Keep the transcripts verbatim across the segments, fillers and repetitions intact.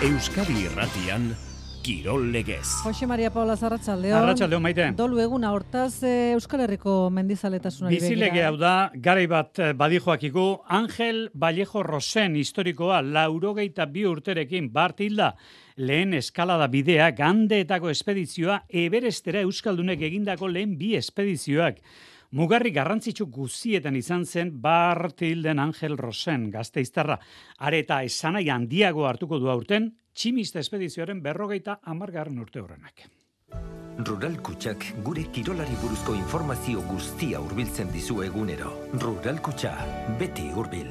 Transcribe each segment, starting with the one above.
Euskadi Irratian Kirol Legez. Jose Maria Paula Arratsaldeon. Arratsaldeon, Maite. Dolu eguna hortaz e, Euskal Herriko mendizaletasunari begira. Bizilege hau da, garai bat badijoakigu, Angel Vallejo Rosen historikoa laurogeita bi urterekin bart hilda. Lehen eskalada bidea, Gandeetako espedizioa, Everestera Euskaldunek egindako lehen bi espedizioak. Mugarri garrantzitsu guztietan izan zen Bart hilden Angel Rosen, Gasteiztarra. Areta esanai handiago hartuko du aurten, tximista espedizioaren berrogeita hamargarren urte horrenak. Rural Kutxak gure kirolari buruzko informazio guztia hurbiltzen dizu egunero. Rural Kutxa, beti hurbil.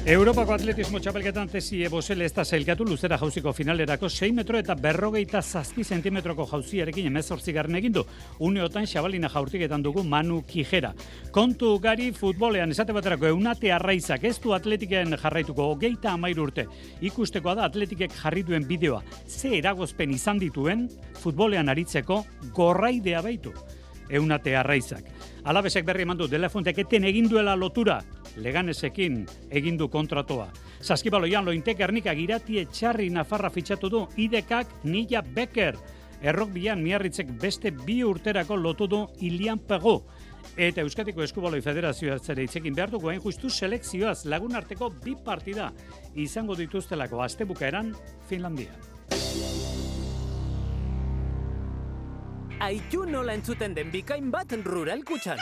Europako atletismo txapelketan tesi ebosele ez da zailkatu luzera jauziko finalerako sei metro eta berrogeita zazpi zentimetroko jauziarekin emezortzigarren egindu. Uneotan xabalina jaurtiketan dugu Manu Kijera. Kontu gari futbolean esate baterako Eunate Arraizak ez du atletiken jarraituko hogeita hamairu urte. Ikustekoa da atletikek jarri duen bideoa. Ze eragozpen izan dituen futbolean aritzeko gorraidea baitu. Eunate Arraizak. Alabesek berri eman du Delafontek eten egin duela lotura. Leganesekin egindu kontratoa. Saskibaloian Lointek Gernika Girati Etxarri Nafarra fitxatu du, Idekak Nilla Becker. Errok bilan Miarritzek beste bi urterako lotu du Ilian Pego. Eta Euskadiko Eskubaloi Federazioa zere hitzekin behar dugu hain justu selekzioaz lagun arteko bi partida izango dituztelako astebukaeran Finlandia. Aitu nola entzuten den bikain bat Rural Kutxan.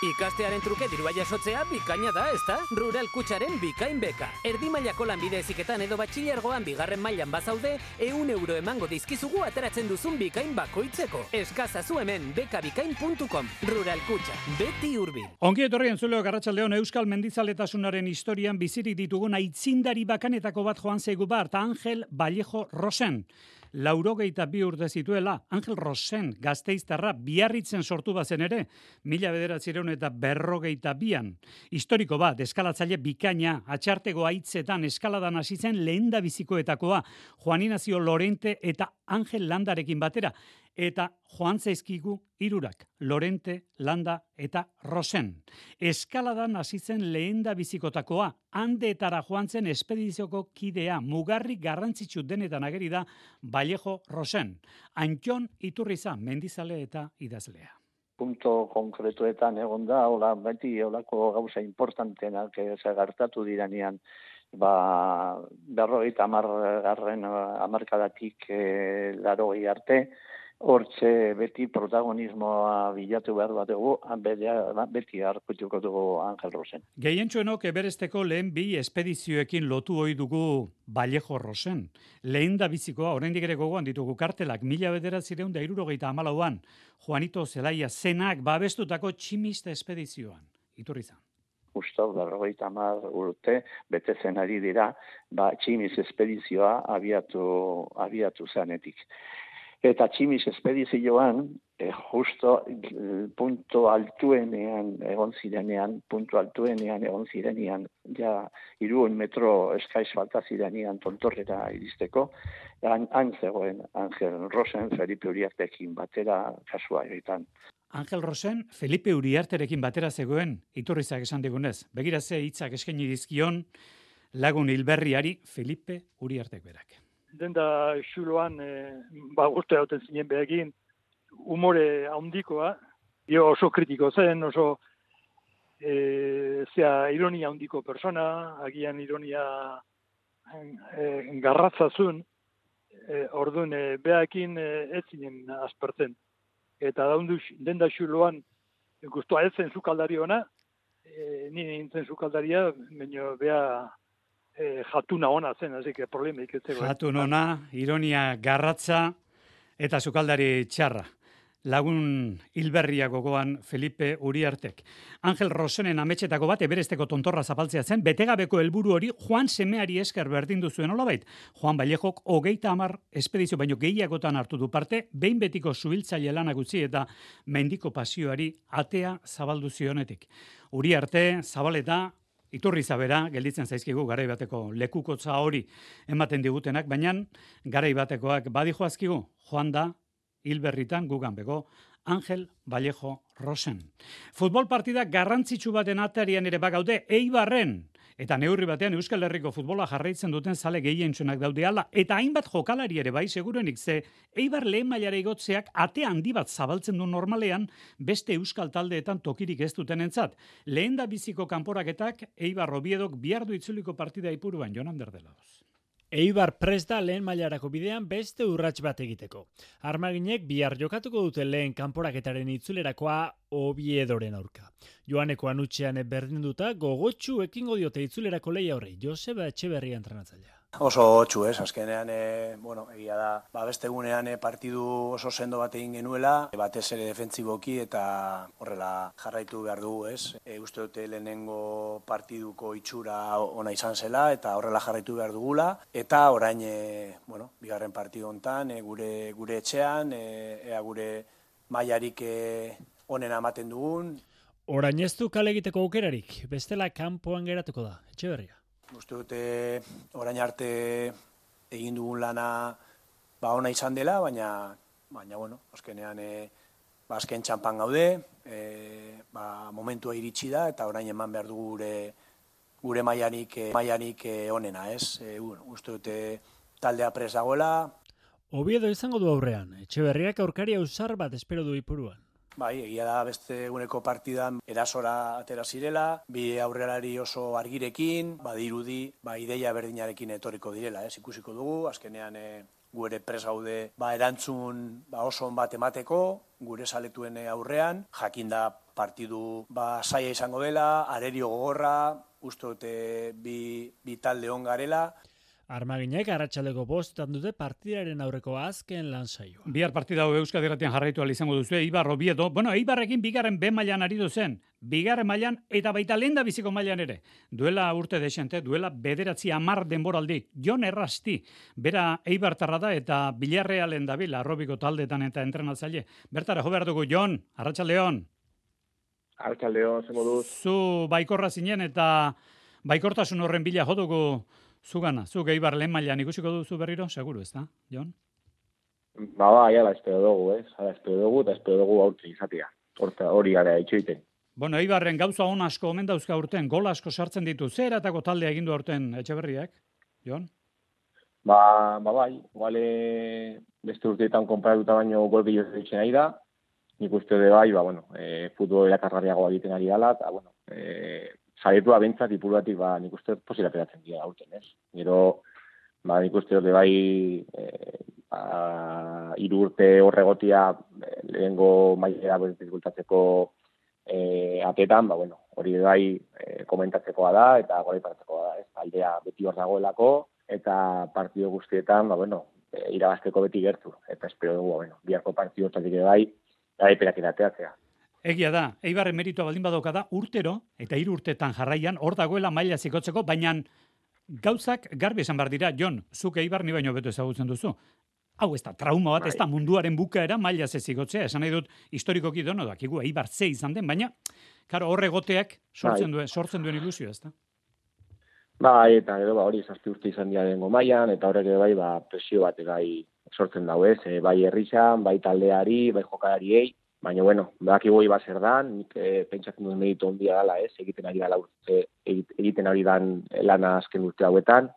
Ikastearen truke dirua jasotzea bikaina da, ezta? Rural Kutxaren bikain beka. Erdi mailako lanbide heziketan edo batxilergoan bigarren mailan bazaude, ehun euro emango dizkizugu ateratzen duzun bikain bakoitzeko. Eskazazu hemen bekabikain puntu com. Rural Kutxa, beti hurbil. Ongi etorri entzuleo Arratsaldeon Euskal mendizaletasunaren historian bizirik ditugun aitzindari bakanetako bat joan zaigu bart, Angel Vallejo Rosen. Laurogeita bi urte zituela, Angel Rosen Gasteiztarra Biarritzen sortu bazen ere, mila bederatziehun eta berrogeita bian. Historiko bat, eskalatzaile bikaina, atxartego haitzetan eskaladan hasi zen lehendabizikoetakoa, Juan Ignacio Lorente eta Angel Landarekin batera, eta joan zaizkigu hirurak, Lorente, Landa eta Rosen. Eskaladan hasi zen lehendabizikotakoa, Andeetara joan zen espedizioko kidea, mugarri garrantzitsu denetan ageri da Vallejo Rosen. Antxon Iturriza, mendizale eta idazlea. Punto konkretuetan egon da, hola, beti holako gauza importantenak gertatu diranean, ba, berrogeita hamargarren hamarkadatik e, larogei arte, hortze beti protagonismoa bilatu behar bat dugu, beti harkutuko dugu Angel Rosen. Gehientsuenok Everesteko lehen bi espedizioekin lotu ohi dugu Vallejo Rosen. Lehen da bizikoa, oraindik ere gogoan ditugu kartelak, mila bederatziehun eta hirurogeita hamalauan, Juanito Zelaia zenak babestutako tximista espedizioan. Iturriza. Justo, berrogeita hamar urte, betetzen ari dira, ba, tximis espedizioa abiatu, abiatu zanetik. Eta tximis espedizioan, eh, justo punto altuenean egon zirenean, punto altuenean egon zirenean, ja hiruehun metro eskaiz falta zirenean tontorrera iristeko, han, han zegoen Angel Rosen, Felipe Uriartekin batera kasua egiten. Angel Rosen, Felipe Uriarterekin batera zegoen, Iturrizak esan digunez. Begira ze hitzak eskaini dizkion lagun hilberriari Felipe Uriartek berak. Den da xuloan, e, ba, urte hauten zinen behegin, umore handikoa, jo oso kritiko zen, oso e, zea ironia handiko persona, agian ironia e, garratzazun, e, orduan e, behakin e, ez zinen aspertzen. Eta daundu, den da xuloan, guztua ez zen zukaldari ona, e, nire nintzen zukaldaria, baina beha, E, jatuna ona zen, así que problemik ez zegoen. Jatun ona, ironia garratza eta sukaldari txarra. Lagun hilberria gogoan Felipe Uriartek. Angel Rosenen ametxetako bat Everesteko tontorra zapaltzea zen, betegabeko helburu hori Juan semeari esker berdindu zuen olabait. Juan Vallejok hogeita hamar espedizio baino gehiagotan hartu du parte, behin betiko zuhiltzaile lanak utzi eta mendiko pasioari atea zabaldu zionetik. Uriarte, Zabaleta, Iturriza bera, gelditzen zaizkigu garai bateko lekukotza hori ematen digutenak, baina garai batekoak badijoazkigu, joan da hilberritan gugan bego Angel Vallejo Rosen. Futbol partida garrantzitsu baten atarian ere bagaude Eibarren. Eta neurri batean Euskal Herriko futbola jarraitzen duten zale gehientsunak daude ala. Eta hainbat jokalari ere bai segurenik ze Eibar lehen mailara igotzeak ate handi bat zabaltzen du normalean beste Euskal taldeetan tokirik ez dutenentzat. Lehen da biziko kanporaketak Eibar Oviedok bihar du itzuliko partida ipuruan Jonan Berdelaoz. Eibar prest da lehen mailarako bidean beste urrats bat egiteko. Armaginek bihar jokatuko dute lehen kanporaketaren itzulerakoa Oviedoren aurka. Joaneko anutxean berdinduta gogotsu ekingo diote itzulerako lehia horrei. Joseba Etxeberria entrenatzailea. Oso hotxu, ez, azkenean, e, bueno, egia da, ba, beste egunean e, partidu oso sendo bat egin genuela, e, batez ere defentsiboki eta horrela jarraitu behar dugu, ez. E, uste dute lehenengo partiduko itxura ona izan zela eta horrela jarraitu behar dugula, eta orain, e, bueno, bigarren partidu hontan, e, gure, gure etxean, e, ea gure mailarik e, onena ematen dugun. Orain ez du kale egiteko aukerarik, bestela kanpoan geratuko da, Etxeberria. Uste dute orain arte egin dugun lana ba ona izan dela, baina baina bueno, azkenean e, ba azken txanpan gaude, e, ba momentua iritsi da eta orain eman behar dugu gure gure mailanik e, mailanik e, onena, ez? E, bueno, uste dute taldea prest dagoela. Oviedo izango du aurrean, Etxeberriak aurkari ausar bat espero du ipuruan. Bai, egia da beste eguneko partidan erasora atera zirela, bi aurrelari oso argirekin, badirudi, ba ideia berdinarekin etorriko direla, ez ikusiko dugu, azkenean e, gu ere prest gaude ba erantzun ba oso on bat emateko, gure saletuen aurrean, jakinda partidu ba saia izango dela, arerio gogorra, uste dute bi, bi talde on garela. Armaginek arratsaldeko bostetan dute partidaren aurreko azken lan saioa. Bihar partida hau Euskadi Irratian jarraitu ahal izango duzu Eibar Oviedo. Bueno, Eibarrekin bigarren B mailan aritu zen. Bigarren mailan eta baita lehen biziko mailan ere. Duela urte desente, duela bederatzi hamar denboraldi. Jon Errasti, bera Eibartarra da eta Villarrealen dabil, Arrobiko taldetan eta entrenatzaile. Bertara jo behar dugu, Jon, arratsaldeon. Arratsaldeon, zer moduz? Zu baikorra zinen eta baikortasun horren bila jo dugu zugana. Zuk Eibar lehen mailan ikusiko duzu berriro, seguru, ez da, Jon? Ba, ba, jala, espero dugu, ez? Hala, espero dugu eta espero dugu aurten izatea. Horta hori gara itxoiten. Bueno, Eibarren gauza on asko omen dauzka urten, gol asko sartzen ditu. Zer eratako taldea egindu aurten Etxeberriak, Jon? Ba, ba, bai, iguale beste urteetan konparatuta baino gol gehiago ditzen ari da. Nik uste de bai, ba, bueno, e, futbol erakargarriagoa egiten ari gala, eta, bueno, e, saietua bentzat ipuratik, ba, nik uste posila peratzen dira aurten, ez? Gero, ba, nik uste dut bai, e, ba, hiru urte horregotia e, lehengo mailera bezgultatzeko e, atetan, ba, bueno, hori bai e, komentatzekoa da, eta gora iparatzekoa da, ez? Aldea beti hor dagoelako, eta partido guztietan, ba, bueno, e, irabazteko beti gertu, eta espero dugu, bueno, biharko partido hortatik bai, garaipenak erateatzea. Egia da, Eibarren meritua baldin badoka da, urtero, eta hiru urtetan jarraian, hor dagoela maila zikotzeko, baina gauzak garbi esan behar dira, Jon, zuk Eibar ni baino beto ezagutzen duzu. Hau ez da trauma bat, ez da munduaren bukaera maila zezigotzea, esan nahi dut historikoki dono dakigu, Eibar ze izan den, baina, karo, horre goteak sortzen duen, sortzen duen ilusio, ez da? Bai, eta gero, ba, hori zazpi urte izan dira dengo mailan, eta horrek bai, ba, presio bat bai sortzen dago, ez, e, bai herrizan, bai taldeari, bai jokalariei, baina, bueno, badakigu bai zer dan, nik e, pentsatzen duen meritu ondia dela, ez, egiten ari dela urte, egiten ari dan lana azken urte hauetan,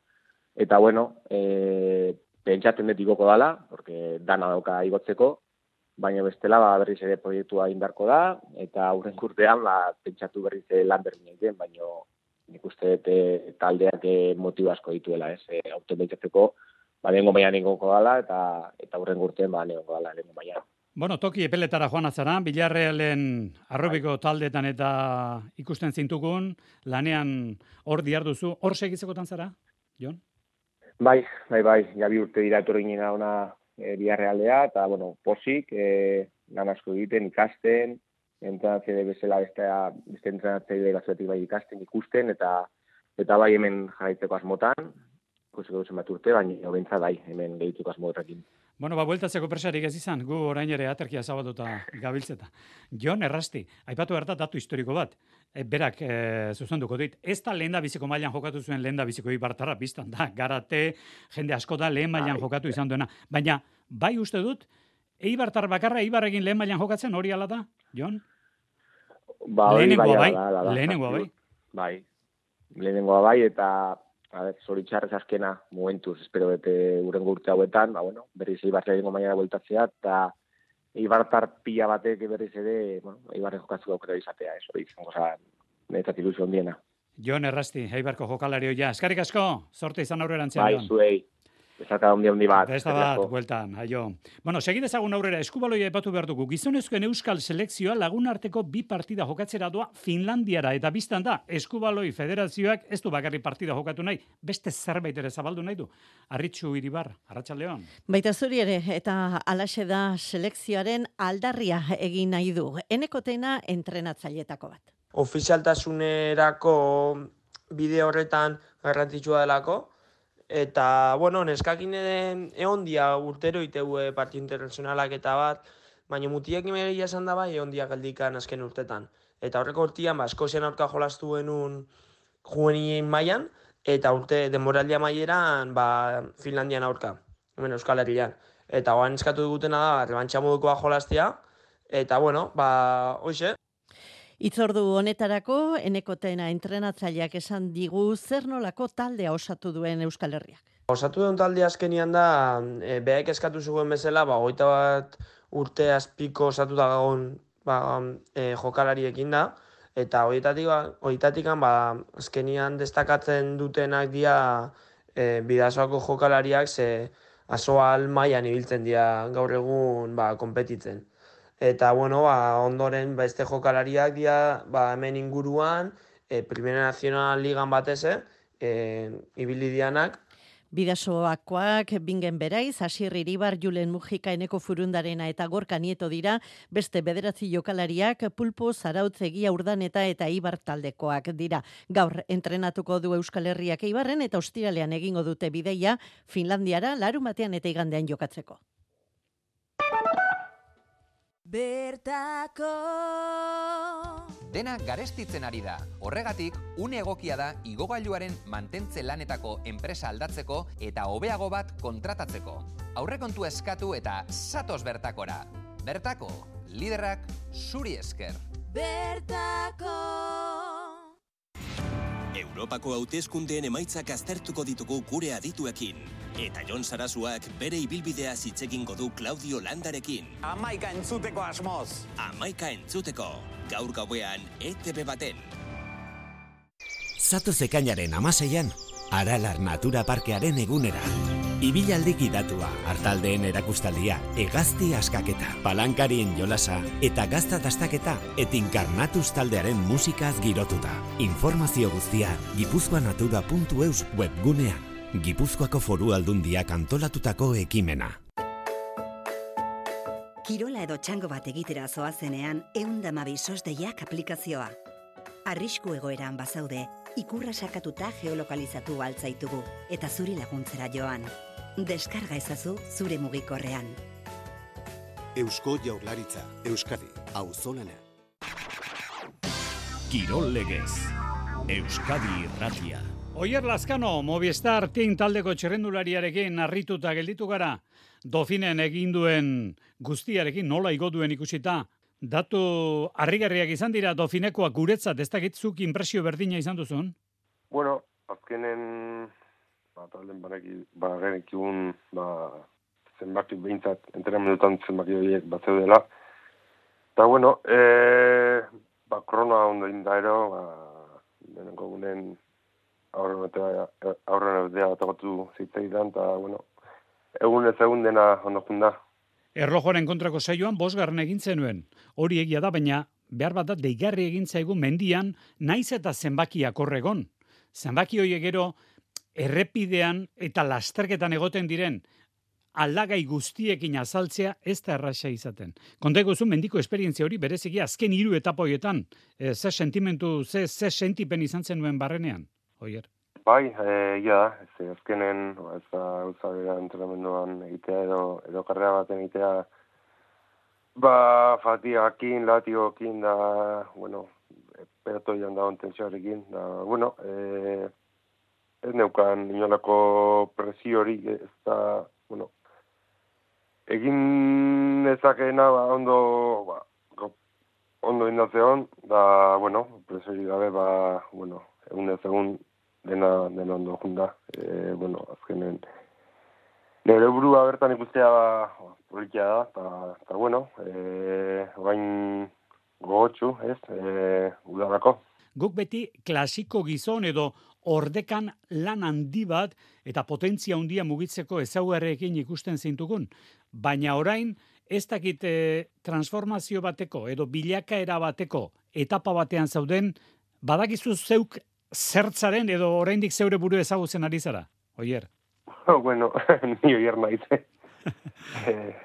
eta, bueno, e, pentsatzen dut igoko dela, porque dana dauka igotzeko, baina bestela ba, berriz ere proiektua indarko da, eta aurren urtean ba, pentsatu berriz lan berdin egiten, baina nik uste dut e, taldeak e, motibo asko dituela, ez, e, aurten pentsatzeko, ba, lehengo mailan igoko dela, eta, eta aurren urtean ba, lehengo dela, lehengo mailan. Bueno, toki epeletara joan atzara, Villarrealen Arrobiko taldetan eta ikusten zintukun, lanean hor diarduzu, hor segitzekotan zara, Jon? Bai, bai, bai, ja bi urte dira etorri nina ona e, Villarrealea, eta, bueno, posik, e, lan asko egiten, ikasten, entrenatzaile bezala beste, beste entrenatzaile gazuetik bai ikasten, ikusten, eta eta bai hemen jarraitzeko asmotan, ikusiko duzen bat urte, baina bentsa bai, hemen gehitzeko asmotrakin. Bueno, ba, bueltatzeko presarik ez izan, gu orain ere aterkia zabatuta gabiltzeta. Jon Errasti, aipatu berta datu historiko bat, e, berak e, zuzenduko dit, ez da lehen da biziko mailan jokatu zuen lehen da biziko Eibartarra biztan da, garate, jende asko da lehen mailan jokatu izan duena, baina bai uste dut, Eibartar bakarra Eibarrekin lehen mailan jokatzen hori ala da, Jon? Ba, hori lehenengoa bai, da, da, da, lehenengoa bai. Bai, lehenengoa bai, eta a ver, zoritxarrez azkena momentuz, espero bete uren urte hauetan, ba, bueno, berriz Eibarra egingo mañana bueltatzea, eta Eibartar pila batek berriz ere, bueno, Eibarren jokatzu aukera izatea, ez hori izango zan, netzat ilusio ondiena. Jon Errasti, Eibarko jokalario ja. Eskerrik asko, sorte izan aurrerantzean. Bai, zuei. Bezarka handi handi bat. Besta bat, bueltan, aio. Bueno, segitezagun aurrera, eskubaloia epatu behar dugu. Gizonezkoen euskal selekzioa lagun arteko bi partida jokatzera doa Finlandiara, eta biztan da, eskubaloi federazioak ez du bakarri partida jokatu nahi, beste zerbait ere zabaldu nahi du. Arritxu Iribar, Arratsaldeon. Baita zuri ere, eta alaxe da selekzioaren aldarria egin nahi du. Enekotena entrenatzailetako bat. Ofizialtasunerako bide horretan garrantzitsua delako, eta, bueno, neskakin egon dia urtero iteue partio internazionalak eta bat, baina mutiak imegia esan da bai egon dia galdikan azken urtetan. Eta horreko urtean, ba, Eskozian aurka jolastu genuen juvenien mailan, eta urte denboraldia maieran, ba, Finlandian aurka, hemen Euskal Herrian. Eta oan eskatu dugutena da, rebantxa modukoa jolastea, eta, bueno, ba, hoxe. Itzordu honetarako, Enekotena entrenatzaileak esan digu zer nolako taldea osatu duen Euskal Herriak. Osatu duen talde azkenian da, e, behaik eskatu zuen bezala, ba, hogeita bat urte azpiko osatu da gagon ba, e, jokalariekin da, eta horietatik, ba, horietatik ba, azkenian destakatzen dutenak dira e, bidasoako jokalariak, ze asoal mailan ibiltzen dira gaur egun ba, konpetitzen. Eta, bueno, ba, ondoren beste jokalariak dira ba, hemen inguruan, e, Primera Nacional Ligan batez, e, ibili dianak. Bidasoakoak Bingen Beraiz, Asier Iribar, Julen Mujika, Eneko Furundarena eta Gorka Nieto dira, beste bederatzi jokalariak Pulpo, Zarautz, Egia Urdaneta eta Ibar taldekoak dira. Gaur entrenatuko du Euskal Herriak Eibarren eta ostiralean egingo dute bideia Finlandiara larumatean eta igandean jokatzeko. Bertako Dena garestitzen ari da. Horregatik, une egokia da igogailuaren mantentze lanetako enpresa aldatzeko eta hobeago bat kontratatzeko. Aurrekontu eskatu eta zatoz bertakora. Bertako, liderrak zuri esker. Bertako Europako hauteskundeen emaitzak aztertuko ditugu gure adituekin. Eta Jon Sarasuak bere ibilbidea hitzegingo du Claudio Landarekin. Amaika entzuteko asmoz. Amaika entzuteko, gaur gauean E T B baten. Zatoz ekainaren amaseian, Aralar Natura Parkearen egunera. Ibilaldi gidatua, hartaldeen erakustaldia, hegazti askaketa, palankarien jolasa eta gazta dastaketa eta Inkarnatuz taldearen musikaz girotuta. Informazio guztia gipuzkoanatura puntu eus webgunean. Gipuzkoako Foru Aldundiak antolatutako ekimena. Kirola edo txango bat egitera zoazenean, eundamabi sosdeiak aplikazioa. Arrisku egoeran bazaude, ikurra sakatuta geolokalizatu altzaitugu, eta zuri laguntzera joan. Deskarga ezazu zure mugikorrean. Eusko Jaurlaritza, Euskadi, auzolana. Kirol legez, Euskadi Irratia. Oier Lazkano, Movistar Team taldeko txerrendulariarekin harrituta gelditu gara. Dofinen egin duen guztiarekin nola igo duen ikusita. Datu harrigarriak izan dira Dofinekoak guretzat, ez dakitzuk inpresio berdina izan duzun? Bueno, azkenen ba, talden bagenekigun ba, zenbaki behintzat, entrenamendutan zenbaki horiek bat zeudela. Eta, bueno, e, ba, kronoa ondo inda ero, ba, denenko gunen aurren eudea atagatu zitzaidan, eta, bueno, egun ez egun dena ondokun da. Erlojoaren kontrako saioan bosgarren egin zenuen. Hori egia da, baina behar bat da deigarri egin zaigu mendian, naiz eta zenbakiak horregon. Zenbaki horiek gero errepidean eta lasterketan egoten diren aldagai guztiekin azaltzea ez da erraxa izaten. Konteko zu mendiko esperientzia hori bereziki azken hiru etapa horietan. E, ze sentimentu, ze, ze sentipen izan zenuen barrenean, Oier? Bai, egia da, ez azkenen, ez da, uzabera entrenamenduan egitea edo, edo karrera baten egitea, ba, fatigakin, latiokin, da, bueno, pelotoian da ontentsioarekin, da, bueno, e, ez neukan inolako presio hori, ez da, bueno, egin ezakena, ba, ondo, ba, ondo indatzeon, da, bueno, preseri gabe, ba, bueno, egun ez egun dena, dena ondo junda. E, bueno, azkenen, nire burua bertan ikustea ba, politia da, eta, eta bueno, e, bain gogotxu, ez, e, udarako. Guk beti klasiko gizon edo ordekan lan handi bat eta potentzia handia mugitzeko ezaugarriekin ikusten zintugun. Baina orain, ez dakit eh, transformazio bateko edo bilakaera bateko etapa batean zauden, badakizu zeuk zertzaren edo oraindik zeure buru ezagutzen ari zara, Oier? Bueno, ni Oier naiz. eh,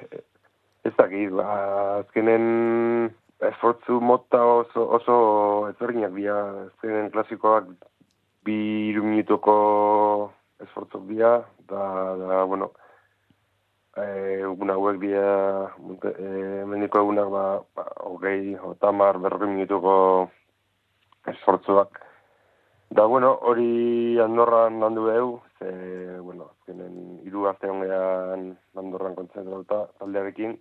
ez dakit, ba, azkenen esfortzu mota oso, oso ezberdinak dira, azkenen klasikoak bi hiru minutuko esfortzuk dira, da, da, bueno, egun hauek dira, e, mendiko egunak, ba, ba, hogei, otamar, berroi minutuko esfortzuak. Da, bueno, hori Andorran landu behu, ze, bueno, azkenen hiru arte hongean Andorran kontzentratuta taldearekin.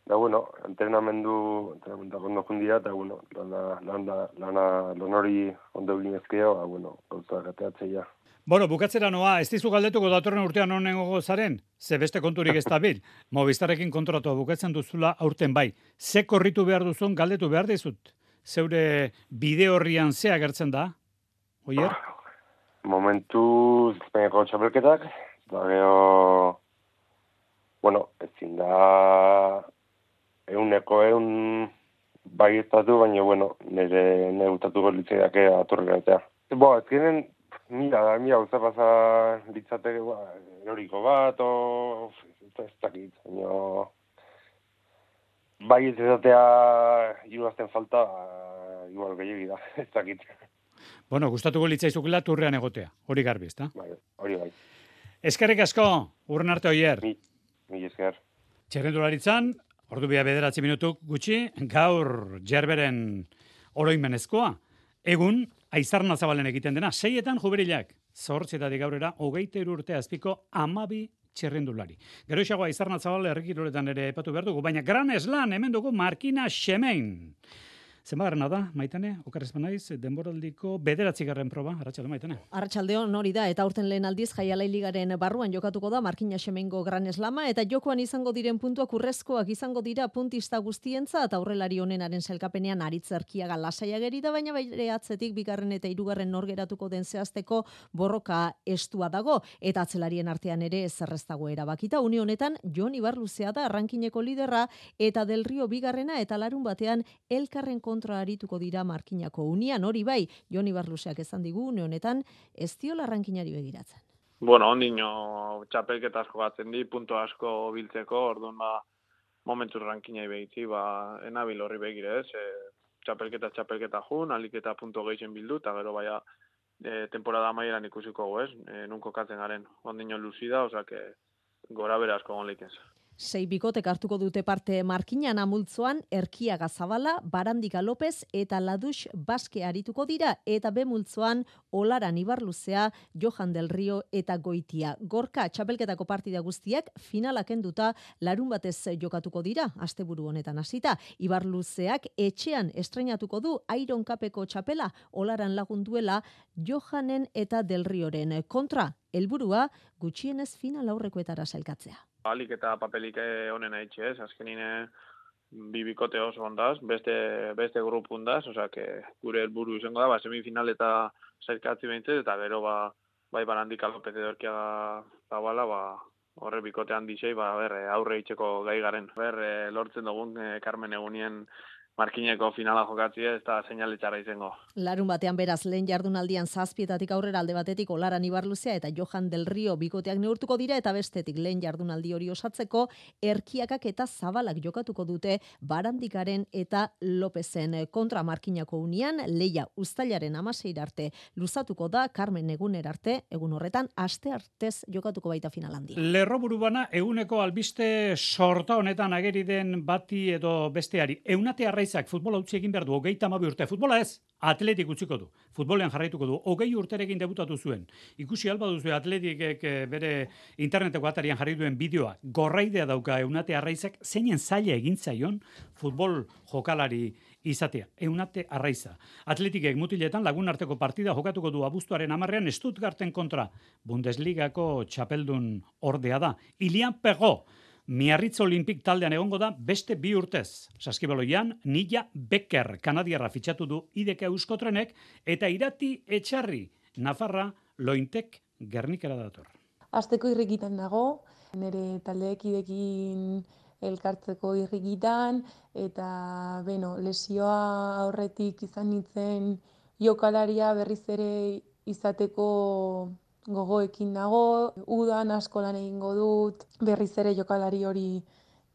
Da, bueno, entrenamendu, entrenamentak ondo jundia, eta, bueno, lana, lana, lana, lan hori ondo egin ezkeo, ba, bueno, gauza gateatzea. Bueno, bukatzera noa, ez dizu galdetuko datorren urtean honengo zaren? Ze beste konturik ez da bil. Movistarrekin kontratua bukatzen duzula aurten bai. Ze korritu behar duzun galdetu behar dizut? Zeure bide horrian ze agertzen da? Oier? Momentu Espainiako txapelketak, da geho, bueno, ezin da euneko eun bai estatu, baina, bueno, nire negutatuko litzeiak aturrikatzea. Bo, ezkenen, mira, da, mira, uza pasa litzateke, ba, eroriko bat, o, ez dakit, baina, bai ez ezatea hiruazten falta, igual gehiagi da, ez dakit. Bueno, gustatuko litzaizukela turrean egotea, hori garbi, ezta? Bai, hori bai. Eskerrik asko, urren arte Oier. Mi, mi esker. Txerrendularitzan, ordu bia bederatzi minutuk gutxi, gaur Jerberen oroimenezkoa. Egun, Aizarna Zabalen egiten dena, seietan juberilak, zortzietatik aurrera, hogeita hiru urte azpiko amabi txerrendulari. Gero isago Aizarna Zabal herrikiroletan ere epatu behar dugu, baina Gran Slam hemen dugu Markina Xemein. Zenbagarrena da, Maitane, okarrezpan naiz, denboraldiko bederatzigarren proba, Arratsalde Maitane. Arratsaldeon hori da, eta aurten lehen aldiz Jaialai Ligaren barruan jokatuko da Markina Xemeingo Gran Slama, eta jokoan izango diren puntuak urrezkoak izango dira puntista guztientza, eta aurrelari honenaren sailkapenean Aritz Erkiaga lasaia geri da, baina bere atzetik bigarren eta hirugarren nor geratuko den zehazteko borroka estua dago, eta atzelarien artean ere zerrez dago erabakita. Une honetan, Jon Ibarluzea da rankineko liderra, eta Del Rio bigarrena, eta larun batean elkarren kontra arituko dira Markinako unian, hori bai, Jon Ibarluzeak esan digu, une honetan, ez diola rankinari begiratzen. Bueno, ondino txapelketa asko batzen di, punto asko biltzeko, orduan ba, momentu rankinai begitzi, ba, enabil horri begire, ez, e, txapelketa txapelketa jun, aliketa punto geixen bildu, eta gero baia e, temporada amaieran ikusiko ez, e, nunko katzen garen, ondino luzida, osea, gora bera asko gonleik ez. Sei bikotek hartuko dute parte Markinan amultzoan, Erkiaga Zabala, Barandika López eta Ladux Baske arituko dira, eta B multzoan Olaran Ibarluzea, Johan Del Rio eta Goitia. Gorka txapelketako partida guztiak finalak enduta larun batez jokatuko dira, asteburu honetan hasita. Ibarluzeak etxean estreinatuko du Iron Cupeko txapela, Olaran lagunduela Johanen eta Del Rioren kontra. Helburua gutxienez final aurrekoetara sailkatzea. Alik eta papelik honen haitxe ez, azkenine bi bikote oso ondaz, beste, beste grupu ondaz, osea, que gure helburu izango da, ba, semifinal eta sailkatzi behintzet, eta gero ba, bai Barandika López edo Erkiaga Zabala, ba, horre bikote handixei, ba, ber, aurre itxeko gai garen. Ber, lortzen dugun e, Carmen egunien Markineko finala jokatzea, ez da seinaletxarra izango. Larun batean beraz, lehen jardunaldian zazpietatik aurrera alde batetik Olaran Ibarluzea eta Johan Del Rio bikoteak neurtuko dira, eta bestetik lehen jardunaldi hori osatzeko Erkiakak eta Zabalak jokatuko dute Barandikaren eta Lopezen kontra. Markinako unian, leia uztailaren amaseira arte luzatuko da, Carmen eguner arte, egun horretan, aste artez jokatuko baita final handi. Lerro burubana, eguneko albiste sorta honetan ageri den bati edo besteari. Eunate arraiz futbola utzi egin behar du, hogeita hamabi urte. Futbola ez, Atletik utziko du. Futbolean jarraituko du. Hogei urterekin debutatu zuen. Ikusi alba duzu Atletikek bere interneteko atarian jarri duen bideoa. Gorraidea dauka Eunate Arraizak zeinen zaila egin zaion futbol jokalari izatea. Eunate Arraiza. Atletikek mutiletan lagun arteko partida jokatuko du abuztuaren hamarrean Stuttgarten kontra. Bundesligako txapeldun ordea da. Ilian Pego. Miarritz Olimpik taldean egongo da beste bi urtez. Saskibaloian, Nilla Becker kanadiarra fitxatu du I D K Euskotrenek eta Irati Etxarri Nafarra Lointek Gernikara dator. Asteko irrikitan nago, nire taldeekidekin elkartzeko irrikitan eta beno, lesioa aurretik izan nintzen jokalaria berriz ere izateko gogoekin nago, udan asko lan egingo dut, berriz ere jokalari hori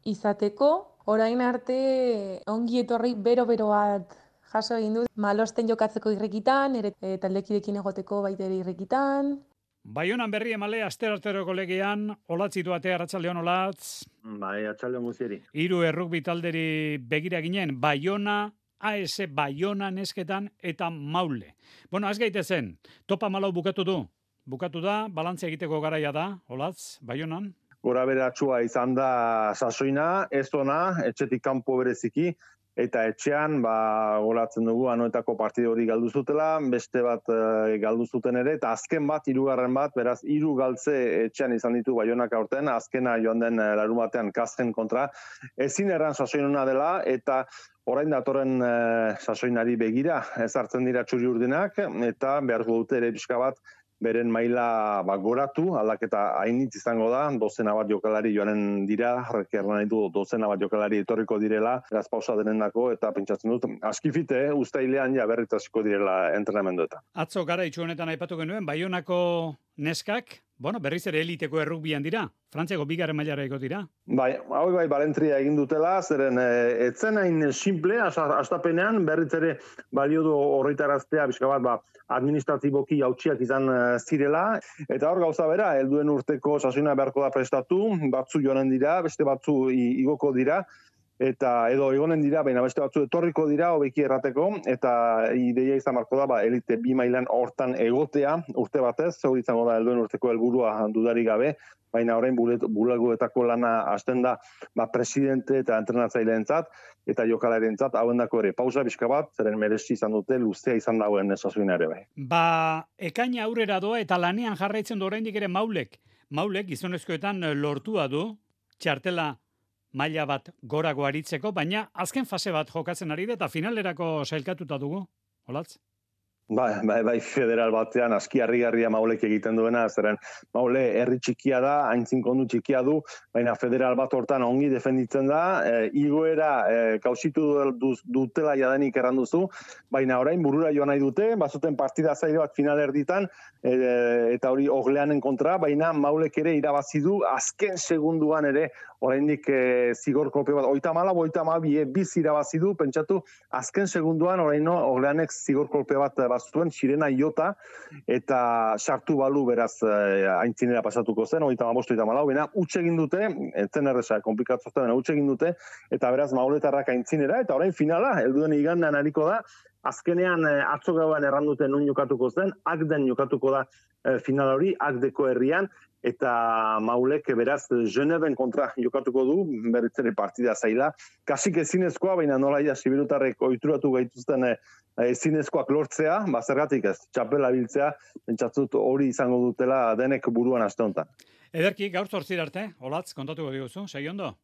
izateko. Orain arte ongi etorri bero-bero bat jaso egin dut, malosten jokatzeko irrikitan, ere e, taldekidekin egoteko baita ere irrikitan. Baionan berri emale aster-arteroko legean, olatzitu atea Arratsaldeon Olatz. Bai, Arratsaldeon guztieri. Hiru errugbi talderi begira ginen, Baiona, A S Baiona nesketan eta Maule. Bueno, az gaitezen, topa malau bukatu du. Bukatu da, balantzea egiteko garaia da, Olatz, Baionan? Gora beratsua izan da sasoina, ez ona, etxetik kanpo bereziki, eta etxean, ba, goratzen dugu, anoetako partide hori galdu zutela, beste bat e, galdu zuten ere, eta azken bat, hirugarren bat, beraz, hiru galtze etxean izan ditu Baionak aurten, azkena joan den larun batean Kasten kontra, ezin erran sasoinuna dela, eta orain datorren e, sasoinari begira, ezartzen dira txuri urdinak, eta beharko dute ere pixka bat, beren maila ba, goratu, aldaketa hainitz izango da, dozena bat jokalari joanen dira, erran nahi du dozena bat jokalari etorriko direla, gazpausa denendako, eta pentsatzen dut, askifite, eh, ustailean ja berritasiko direla entrenamenduetan. Atzo gara itxu honetan aipatu genuen, Baionako neskak, bueno, berriz ere eliteko errugbian dira, Frantziako bigarren mailara dira. Bai, hau bai, balentria egin dutela, zeren e, etzen hain simple, astapenean, berriz ere balio du horretaraztea, bizka bat, ba, administratiboki hautsiak izan zirela, eta hor gauza bera, helduen urteko sasoina beharko da prestatu, batzu joanen dira, beste batzu igoko dira, eta edo egonen dira, baina beste batzu etorriko dira, hobeki errateko, eta ideia izan marko da, ba, elite bi mailan hortan egotea, urte batez, hori izango da helduen urteko helburua dudarik gabe, baina orain bulagoetako lana hasten da ba, presidente eta entrenatzaileentzat eta jokalareentzat hauendako ere pausa bizka bat, zeren merezi izan dute luzea izan dagoen sasoina ere bai. Ba, ekaina aurrera doa eta lanean jarraitzen du oraindik ere Maulek. Maulek gizonezkoetan lortua du txartela maila bat gorago aritzeko, baina azken fase bat jokatzen ari da eta finalerako sailkatuta dugu. Olatz? Bai, bai, bai, federal batean aski harrigarria Maulek egiten duena, zeren Maule herri txikia da, haintzin kondu txikia du, baina federal bat hortan ongi defenditzen da, e, igoera e, kausitu dutela jadanik erranduzu, baina orain burura joan nahi dute, bazuten partida zaile bat final erditan, e, eta hori ogleanen kontra, baina Maulek ere irabazi du, azken segunduan ere, oraindik e, zigor kolpe bat, oita mala, oita ma, bie, biz irabazi du, pentsatu, azken segunduan oraino ogleanek zigor kolpe bat bazuen, sirena iota, eta sartu balu beraz eh, aintzinera pasatuko zen, oita ma bost, oita malau, baina utxe egin dute, entzen erresa, komplikatu zen, utxe egin dute, eta beraz mauletarrak aintzinera, eta orain finala, helduen igandean hariko da, azkenean eh, atzo gauan erranduten nun jokatuko zen, akden jokatuko da eh, final hori, akdeko herrian, eta Maulek beraz Geneben kontra jokatuko du, berritzere partida zaila. Kasik ezinezkoa, baina nola ia sibirutarrek ohituratu gaituzten ezinezkoak lortzea, bazergatik ez, txapela biltzea, pentsatzut hori izango dutela denek buruan aste honetan. Ederki, gaur zortzir arte, Olatz, kontatuko diguzu, segi ondo?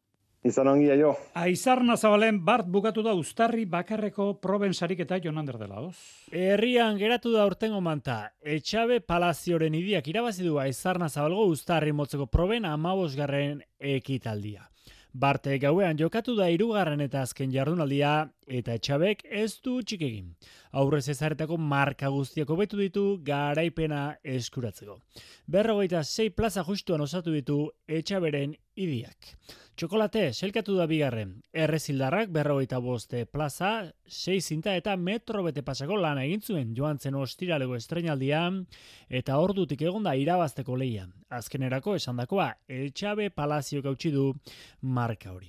Izan ongi aio. Aizarna Zabalen bart bukatu da Uztarri bakarreko proben sariketa Jonander dela, oz? Herrian geratu da urtengo manta. Etxabe Palazioren idiak irabazi du Aizarna Zabalgo Uztarri motzeko proben amabosgarren ekitaldia. Barte gauean jokatu da hirugarren eta azken jardunaldia eta Etxabek ez du txik egin. Aurrez ezaretako marka guztiak hobetu ditu garaipena eskuratzeko. Berrogeita sei plaza justuan osatu ditu Etxaberen idiak. Txokolate, selkatu da bigarren. Errezildarrak berrogeita boste plaza, sei zinta eta metro bete pasako lana egin zuen joan zen ostiraleko estreinaldian eta ordutik egon da irabazteko leia. Azkenerako esandakoa, Etxabe Palazio gautsi du marka hori.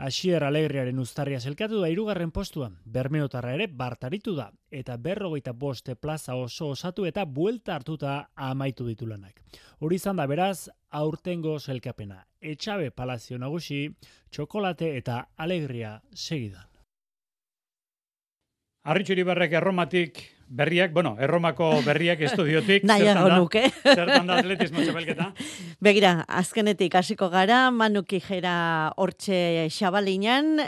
Asier Alegriaren Uztarria selkatu da hirugarren postuan, Bermeotarra ere bartaritu da, eta berrogeita boste plaza oso osatu eta buelta hartuta amaitu ditu lanak. Hori izan da beraz, aurtengo selkapena. Etxabe Palazio nagusi, Txokolate eta Alegria segidan. Arritxu Iribarrek Erromatik berriak, bueno, Erromako berriak estudiotik. Nahiago nuke. Zertan da atletismo txapelketa? Begira, azkenetik hasiko gara, Manu Kijera hortxe Xabalinan,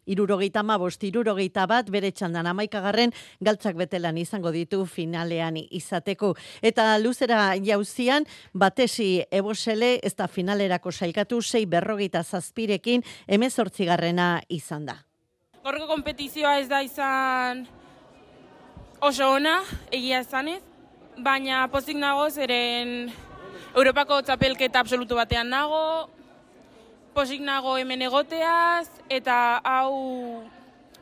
irurogeita amabost, irurogeita bat, bere txandan amaikagarren, galtzak betelan izango ditu finalean izateko. Eta luzera jauzian, batesi ebosele, ez da finalerako sailkatu, sei berrogeita zazpirekin, hemezortzigarrena izan da. Gorko kompetizioa ez da izan oso ona, egia esanez, baina pozik nago zeren Europako txapelketa absolutu batean nago, pozik nago hemen egoteaz, eta hau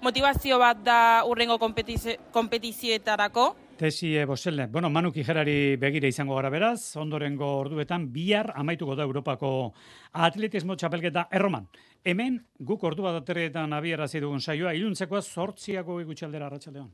motivazio bat da urrengo kompetizioetarako. Tesi Boselle. Bueno, Manu Kijerari begira izango gara beraz, ondorengo orduetan bihar amaituko da Europako atletismo txapelketa Erroman. Hemen guk ordu bat aterrietan abiarazi dugun saioa, iluntzekoa zortziako gutxaldera arratsaldean.